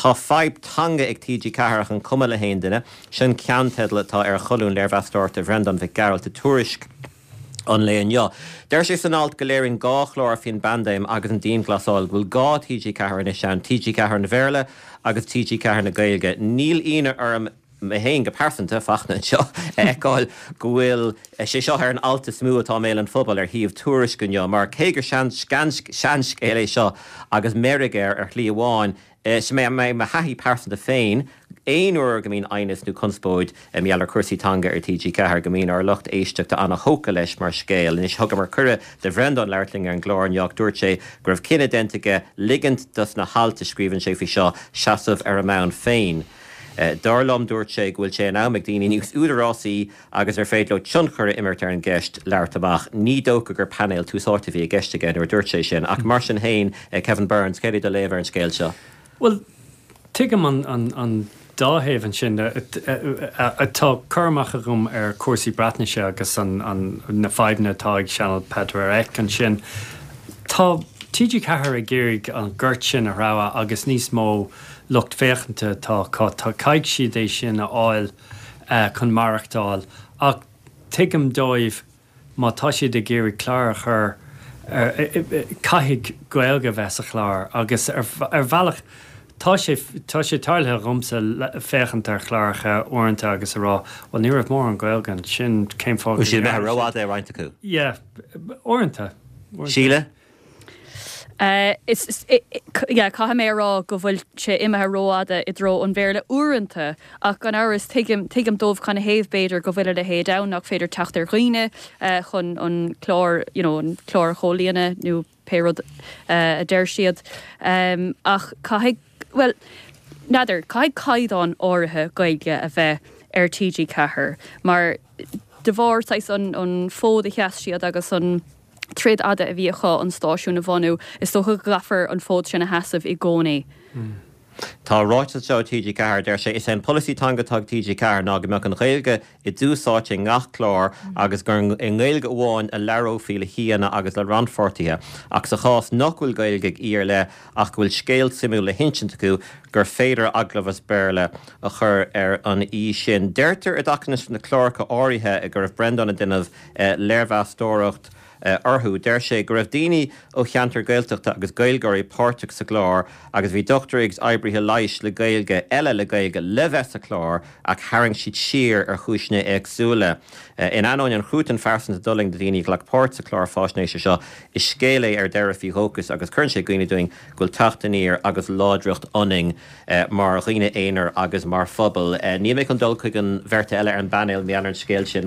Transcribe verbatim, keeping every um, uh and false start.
Tá fadhb teanga ag TG Ceathair ach an cuma le haon duine, sin ceannteideal atá ar cholún léirmheastóireachta Bhreandán Mhic Gearailt i Tuairisc an lae inniu. Deir sé san alt go léiríonn dhá chlár faoin bpaindéim agus an dianghlasáil go bhfuil dhá TG Ceathair anois ann, TG Ceathair an Bhéarla agus TG Ceathair na Gaeilge. Níl ionadh orm mé féin go pearsanta Fachtna anseo a fheiceáil go bhfuil sé seo ar an alt is mó atá i mbéal an phobail ar shuíomh Tuairisc inniu, mar cé gur seanscéal é seo agus meirg air ar shlí amháin, is mé mé mo thaithí pearsanta féin, aon uair go mbíonn aighneas nó conspóid mar gheall ar chúrsaí teanga ar TG Ceathair go mbíonn ár lucht éisteachta an-tógtha leis mar scéal. Anois thugamar cuireadh do Bhreandán labhairt linn ar an gclár inniu dúirt sé go raibh cinneadh déanta aige ligint dos na hailt a scríobhann sé faoi seo seasamh ar a mbonn féin. Dar liom dúirt sé go bhfuil sé in am ag daoine níos údarásaí agus ar féidir leo tionchar a imirt ar an gceist labhairt amach. Ní dócha gur painéal Tús Áite a bhí i gceist aige nuair a dúirt sé sin, ach mar sin féin Kevin Burns, céard é do léamh ar an scéal seo. Well, tuigim an, an, an dá thaobh ansin tá cur amach agam ar chúrsaí Breatnaise agus an, an, na fadhbanna atá ag Sianel Pedwar Ec ansin. Tá TG Ceathair ag iarraidh an gort sin a threabhadh agus níos mó lucht féachanta tá tá caithfidh siad é sin a fháil uh, chun maireachtáil ach tuigim dóibh má tá siad ag iarraidh clár a chur caithfidh Gaeilge bheith sa chlár agus ar, ar bhealach Tá sé tá sé tarlaithe dhomsa féachaint ar chláracha uaireanta agus a rá well ní raibh mórán Gaeilge ansin cén fáth sí mé rófhada roinnt acu. Yeah, uaireanta. Síle? Uh, is yeah, caithfidh mé rá go bhfuil sé imithe rófhada i dtreo an Bhéarla uaireanta ach gan amhras tuigim tuigim dóibh canathaobh b'fhéidir go bhfuil a leithéid ann nach féidir teacht ar dhaoine uh, chun an clár you know, an clár chomhlíonadh nó pé rud uh, a deir siad um, ach caithfidh well n'fheadar caithfidh caighdeán áirithe Gaeilge a bheith ar TG Ceathair mar de bharr an, an fód a sheas siad agus an troid fhada a bhí acu an stáisiún a bhunú is dócha go gcaithfear an fód sin a sheasamh i gcónaí. Mm. Tá ráiteas seo TG Ceathair deir sé is é an polasaí teanga atá ag TG Ceathair ná go mbeadh an Ghaeilge i dtús áite i ngach clár agus gur i nGaeilge amháin a labhrófaí le haíonna agus le rannpháirtithe ach sa chás nach bhfuil Gaeilge ag aoi ar leith ach go bhfuil scéal suimiúil le hinsint acu gur féidir agallamh as Béarla a chur ar an aoi sin. Deirtear i dtaca leis na cláracha áirithe go raibh Breandán ag déanamh eh, léirmheastóireacht uh, orthu. Deir sé go raibh daoine ó cheantar Gaeltachta agus Gaeilgeoirí páirteach sa chlár agus bhí dochtúirí agus oibrithe leighis le Gaeilge eile le Gaeilge le bheith sa chlár ach tharraing siad siar ar chúiseanna éagsúla. Uh, in ainneoin an chruatan phearsanta a d'fhulaing daoine ghlac páirt sa chlár faisnéise seo is scéal é ar deireadh faoi dhóchas agus cuireann sé i gcuimhne dúinn go bhfuil teacht aniar agus láidreacht ionainn uh, mar dhaoine aonair agus mar phobal. Uh, Níl mé chun dul chuig an bheirt eile ar an bpainéal mé an scéal sin.